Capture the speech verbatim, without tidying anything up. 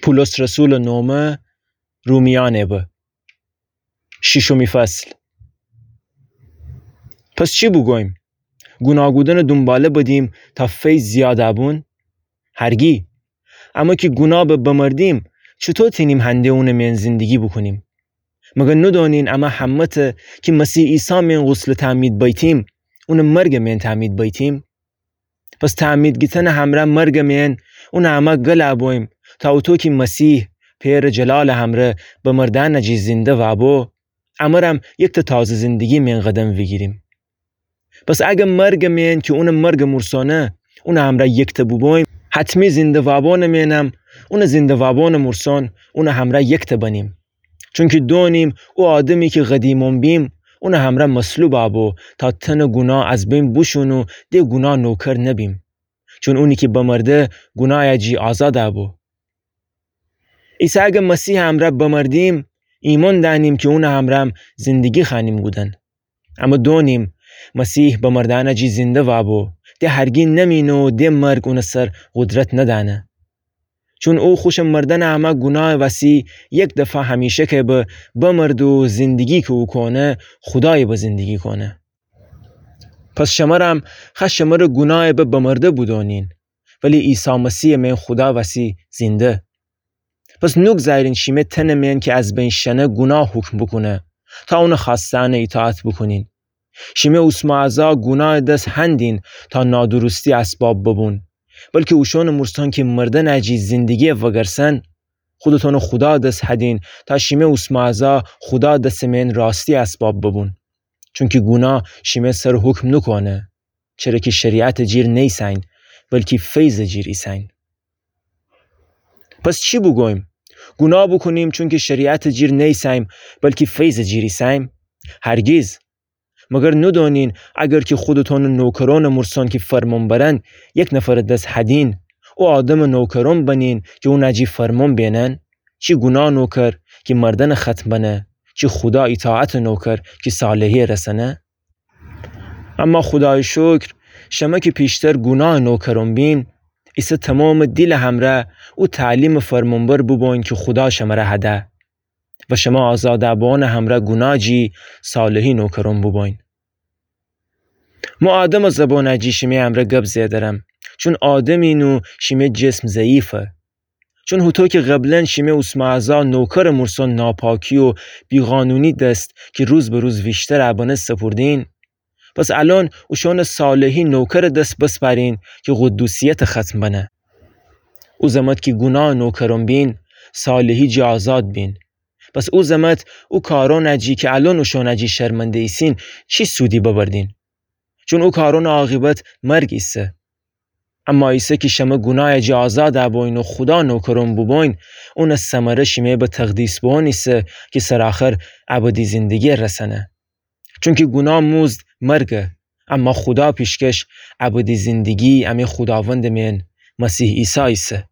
پولس رسولٚ نومه، رومیأنٚ به. شیشمی فصل. پس چی بوگویم؟ گوناه کودنٚ دونباله بدیم تا فیض زیاد بون؟ هرگی. اما کی گوناه به بمردیم، چوطو تینیم هنده اونٚ مئن زندگی بوکونیم؟ مگر ندونین اما همه‌تأ کی مسیح عیسی مئن غسلٚ تعمید بیتیم، اونٚ مرگٚ مئن تعمید بیتیم؟ پس تعمید گیتنٚ همرأ مرگٚ مئن اونٚ امرأ گل بویم، تا اوطو کی مسیح پئرٚ جلالٚ همرأ بمردأنٚ جی زنده وابو، امرم یکتأ تازه زندگی مئن قدم ویگیریم. پس اگر مرگٚ مئن کی اونٚ مرگٚ مورسونه اونٚ همرأ یکتأ بوبویم، حتمی زنده وابونٚ مئنم اونٚ زنده وابونٚ مورسون اونٚ همرأ یکتأ بنیم. چونکی دونیم او آدمی کی قدیمون بیم، اونٚ همرأ مصلوب بو، تا تنٚ گوناه از بین بوشون و د گوناه نوکر نبیم. چون اونی کی بمرده، گوناهٚ جی آزاد بو. ایسه اگر مسیحٚ همرأ بمردیم، ایمأن دأنیم کی اونٚ همرأم زندگی خوأنیم کودن. اما دونیم، مسیح بمردأنٚ جی زنده وابو، د هرگی نمینه و د مرگ اونٚ سر قدرت ندأنه. چون او خوشٚ مردنٚ امرأ گوناهٚ وسی یک دفعه همیشگی به بمرده و زندگی کی او کونه، خودایٚ به زندگی کونه. پس شمرم خوأ شمرٚ گوناهٚ به بمرده بودونین، ولی عیسی مسیحٚ مئن خودا وسی زنده. پس نوگذارین شیمه تنٚ مئن کی از بین شنه گوناه حکم بوکونه، تا اونٚ خوأستأنٚ ایطاعت بوکونین. شیمه اوسمأعضا گوناهٚ دس هندین تا نادرستی اسباب ببون، بلکی اوشونٚ مورسون کی مردنٚ جی زندگی وگرسن. خودتون خودا دس هدین تا شیمه اوسمأعضا خودا دسٚ مئن راستی اسباب ببون. چونکی گوناه شیمه سر حکم نوکونه، چره کی شریعتٚ جیر نیسین، بلکی فیضٚ جیر ایسین. پس چی بوگویم؟ گوناه بوکونیم چونکی شریعتٚ جیر نیسیم، بلکی فیضٚ جیر ایسیم؟ هرگیز. مگر ندونین اگر کی خودتونٚ نوکرونٚ مورسون کی فرمون برن، یک نفرٚ دس هدین، او آدمٚ نوکرون بنین کی اونٚ جی فرمون بینن؟ چی گوناه نوکر کی مردنٚ ختم بنه، چی خودا ایطاعتٚ نوکر کی صالحی رسنه؟ اما خودایٚ شکر، شمه کی پیشتر گوناهٚ نوکرون بین، ایسه تومامٚ دیلٚ همرأ او تعلیمٚ فرمونبر بوبوین کی خودا شمره هده. و شمه آزادٚ بوانٚ همرأ گوناه جی صالحی نوکرون بوبوین. مو آدمٚ زبانٚ جی شیمه‌یٚ امرأ گب زئدرم، چون آدمین و شیمه‌یٚ جسم ضعیفه. چون هوطو کی قبلا شیمه اوسمأعضا نوکرٚ مورسون ناپاکی و بیقانونی دس کی روز به روز ویشتر بنه سپوردین، پس الأن اوشونٚ صالحی نوکرٚ دس بسپارین کی قدوسیتٚ ختم بنه. او زمت کی گوناهٚ نوکرون بین، صالحی جی آزاد بین. پس او زمت او کارونٚ جی کی الأن اوشونٚ جی شرمنده ایسین، چی سودی ببردین؟ چون او کارونٚ عاقبت مرگ ایسه. اما ایسه کی شمه گوناهٚ جی آزاد بوین و خودا نوکرون بوبوین، اونٚ ثمره شیمه به تقدیس بوان ایسه کی سرآخر ابدی زندگی رسنه. چونکی گوناه مزد مرگه، اما خودا پیشکش ابدی زندگی امی خوداوندٚ مئن مسیح عیسی ایسه.